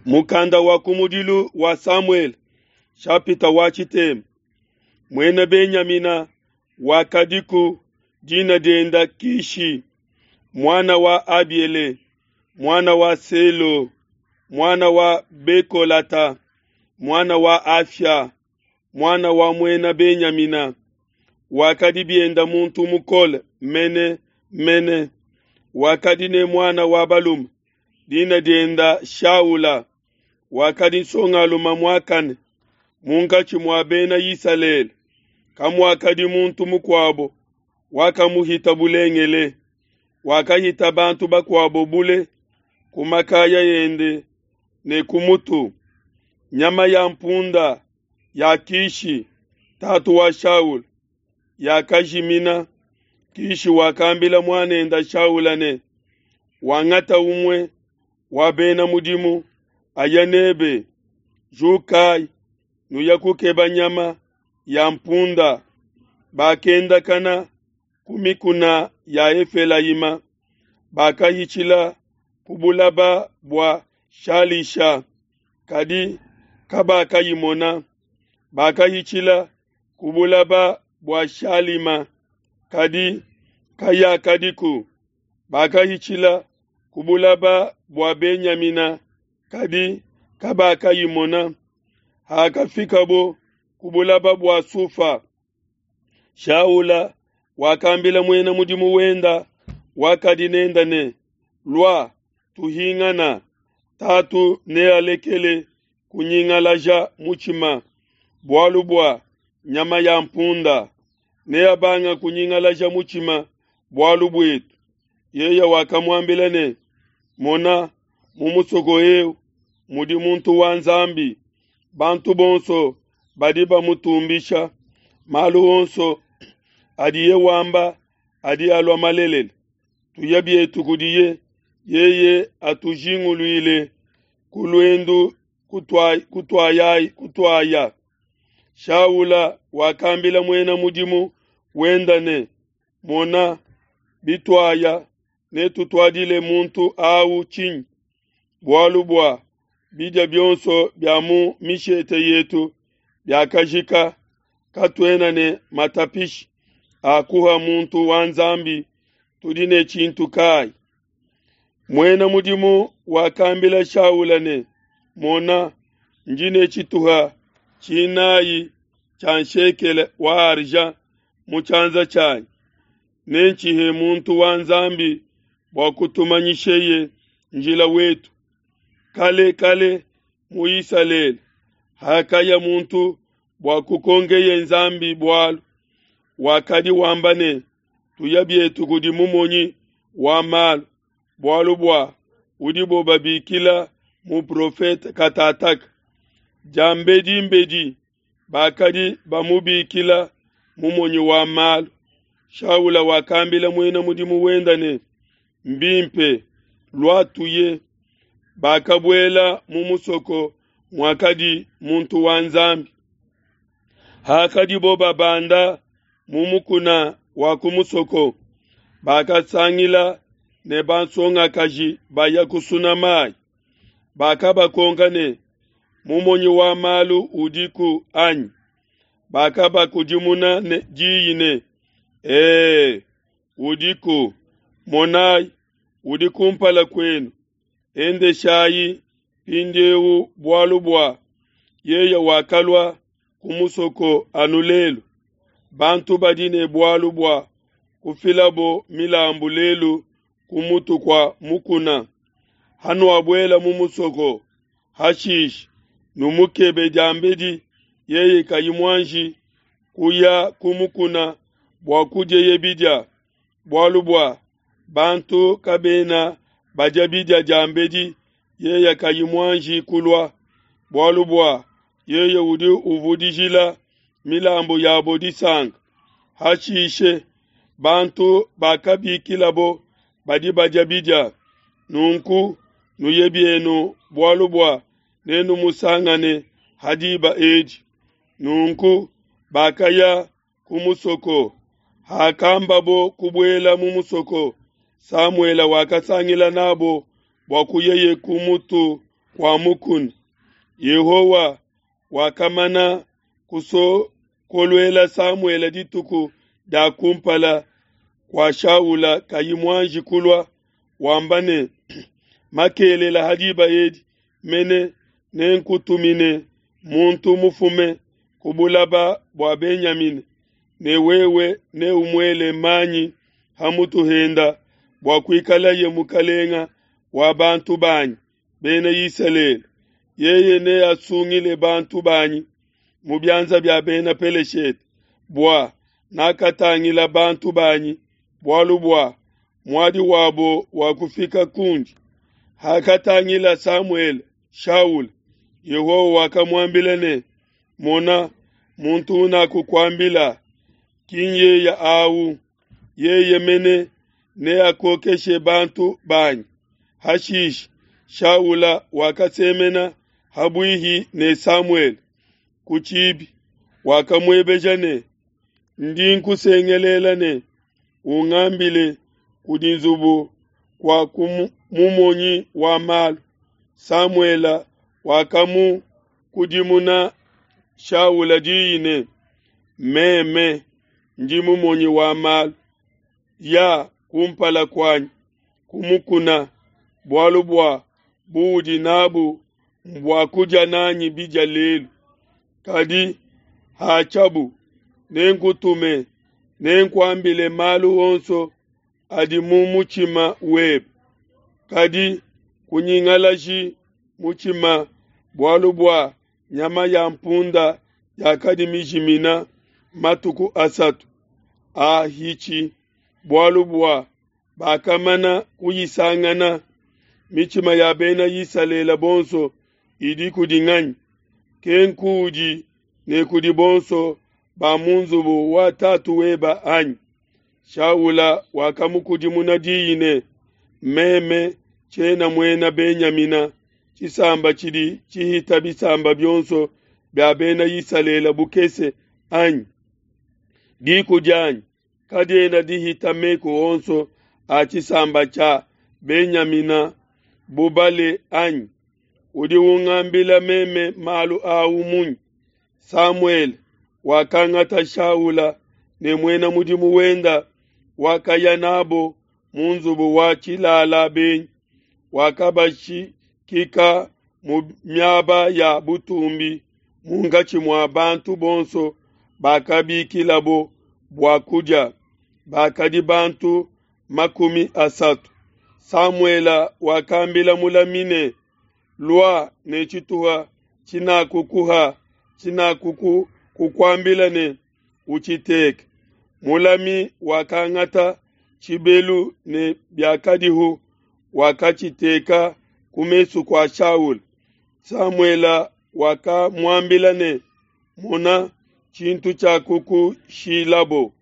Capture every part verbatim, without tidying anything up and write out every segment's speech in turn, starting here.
Mukanda wa kumudilu wa Samuele, shapita wa tshitema. Muena Benyamina wakadiku dina dienda Kishi, muana wa Abiele, muana wa Selo, muana wa Bekolata, muana wa Afia, muana wa muena Benyamina. Wakadi bienda muntu mukole mene mene. Wakadi ne muana wa balume, dina dienda Shaula. Wakadi nsongalume muakane munkatshi mua bena Isalele. Kamuakadi muntu mukuabo wakamuhita bulengele. Wakahita bantu bakuabo bule ku makaya ende ne ku mutu. Nyama ya mpunda ya Kishi, tatu wa Shaula, yakajimina. Kishi wakambila muanende Shaula ne, wangata umue wa bena mudimu aya nebe, jukayi nuya kukeba nyama ya mpunda. Bakendakana ku mikuna ya Efelayima, bakahitshila ku bulaba bua Shalisha, kadi kabakayimona. Bakahitshila ku bulaba bua Shalima, kadi kayakadiku. Bakahitshila ku bulaba bua Benyamina, kadi kabakayimona. Hakafikabo ku bulaba bua Sufa, Shaula wakambila muena mudimu wenda wakadi nenda ne, lua tuhingana, tatu nealekele kunyingalaja mutshima bualu bua nyama ya mpunda, neabanga kunyingalaja mutshima bualu buetu. Yeye wakamuambila ne, mona, mu musoko eu mudi muntu wa Nzambi, bantu bonso badi bamutumbisha, malu onso adiye wamba adi alua malelela. Tuya bietu kudiye, yeye atujinguluile ku luendu kutuaya kutuaya. Shaula wakambila muena mudimu wenda ne, mona, bituaya netutuadile muntu au tshinyi? Bualu bua bidia bionso bia mu mishete yetu biakajika, katuena ne matapishi akuha muntu wa Nzambi, tudi ne tshintu kai? Muena mudimu wakambila Shaula ne, mona, ndi ne tshituha tshinayi tshia nshekele wa argent mu tshianza tshianyi, nentshihe muntu wa Nzambi bua kutumanyisheye njila wetu. Kale kale mu Isalele hakaya muntu bua kukongeye Nzambi bualu, wakadi wamba ne, tuya bietu kudi mumonyi wa malu, bualu bua udibo babikila muprofete katataka. Diambedi bakadi bamubikila mumonyi wa malu. Shaula wakambila muena mudimu wenda ne, mbimpe, lua tuye. Bakabuela mu musoko muakadi muntu wa Nzambi. Hakadibo babanda mu mukuna wa ku musoko, bakasangila ne bansongakaji baya kusuna mayi. Bakabakonka ne, mumonyi wa malu udiku anyi? Bakabakudimuna ne diyi ne, ee, udiku, monayi, udi kumpala kwenu. Endeshayi mpindieu bualu bua yeye wakalua ku musoko anu lelu. Bantu badi ne bualu bua kufilabo milambu lelu ku mutu kua mukuna. Hanuabuela mu musoko, hashishe numukebe diambedi yeye kayi muanji kuya ku mukuna bua kudieye bidia, bualu bua bantu kabena badia bidia diambedi yeye kayi muanji kulua, bualu bua yeye udi uvudijila milambu yabo disanka. Hashishe bantu bakabikilabo badi badia bidia. Nunku nuye bienu, bualu bua nenumusangane ha diba edi. Nunku bakaya ku musoko. Hakambabo kubuela mu musoko, Samuele wakasangila nabo bua kuyeye ku mutu kua mukuna. Yehowa wakamana kusokoluela Samuele dituku dia kumpala kua Shaula kayi muanji kulua, wamba ne, makelela ha diba edi mene nenkutumine muntu mufume ku bulaba bua Benyamina, ne wewe neumuele manyi ha mutu henda bua kuikalaye mukalenga wa bantu banyi Bena Isalele. Yeye neasungile bantu banyi mu bianza bia Bena Peleshete, bua nakatangila bantu banyi, bualu bua muadi wabo wakufika kundi. Hakatangila Samuele Shaula, Yehowa wakamuambila ne, Mona, muntu unakukuambila ki nyeye awu, yeye mene neakokeshe bantu banyi. Hashishe Shaula wakasemena habuihi ne Samuele ku tshibi, wakamuebeja ne, Ndi nkusengelela ne, ungambile kudi nzubu kua mumonyi wa malu. Samuele wakamukudimuna Shaula diyi ne, Meme ndi mumonyi wa malu, ya kumpala kuanyi ku mukuna, bualu bua buudi nabu mbua kudia nanyi bidia lelu. Kadi hatshiabu nenkutume, nenkuambile malu onso adi mu mutshima webe. Kadi kunyingalaji mutshima bualu bua nyama ya mpunda yakadi mijimina matuku asatu ahitshi, bualu bua bakamana kuyisangana. Mitshima ya Bena Isalele bonso idi kudi nganyi? Kenkuudi ne kudi bonso ba mu nzubu wa tatu weba anyi? Shaula wakamukudimuna diyi ne, Meme tshiena muena Benyamina, tshisamba tshidi tshihita bisamba bionso bia Bena Isalele bukese anyi? Diku dianyi kadiena dihita meku onso a tshisamba tshia Benyamina bubale anyi? Udi ungambila meme malu au munyi? Samuele wakangata Shaula ne muena mudimu wenda, wakaya nabo mu nzubu wa tshilala benyi, wakabashikika mu miaba ya butumbi munkatshi mua bantu bonso bakabikilabo bua kudia, bakadi bantu makumi asatu. Samuele wakambila mulami ne, Lua ne tshituha tshinakukuha tshinakukuambila ne, utshiteke. Mulami wakangata tshibelu ne biakadihu, wakatshiteka ku mesu kua Shaula. Samuele wakamuambila ne, Mona tshintu tshiakukushilabo,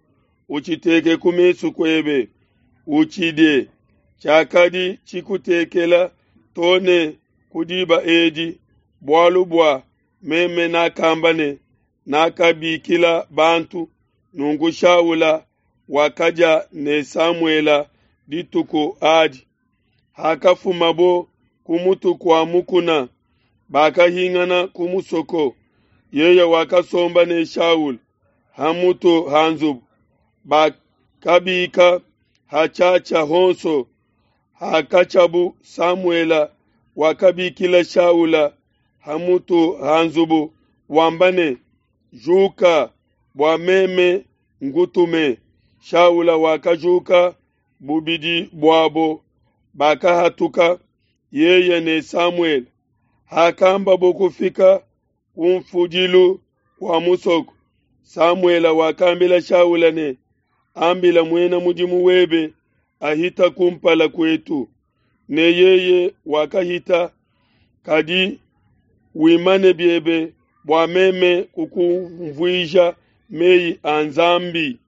utshiteke ku mesu kuebe, utshidie. Tshiakadi tshikutekela to ne ku diba edi, bualu bua meme nakamba ne, nakabikila bantu. Nunku Shaula wakadia ne Samuele dituku adi. Hakafumabo ku mutu kua mukuna, bakahingana ku musoko. Yeye wakasomba ne Shaula ha mutu ha nzubu. Bakabika hatshiatshia honso. Hakatshiabu, Samuele wakabikila Shaula ha mutu ha nzubu, wamba ne, Juka, bua meme ngutume. Shaula wakajuka, bubidi buabo bakahatuka, yeye ne Samuele. Hakambabo kufika kunfudilu kua musoko, Samuele wakambila Shaula ne, Ambila muena mudimu webe ahita kumpala kuetu. Ne yeye wakahita, kadi wimane biebe bua meme kukunvuija mei a Nzambi.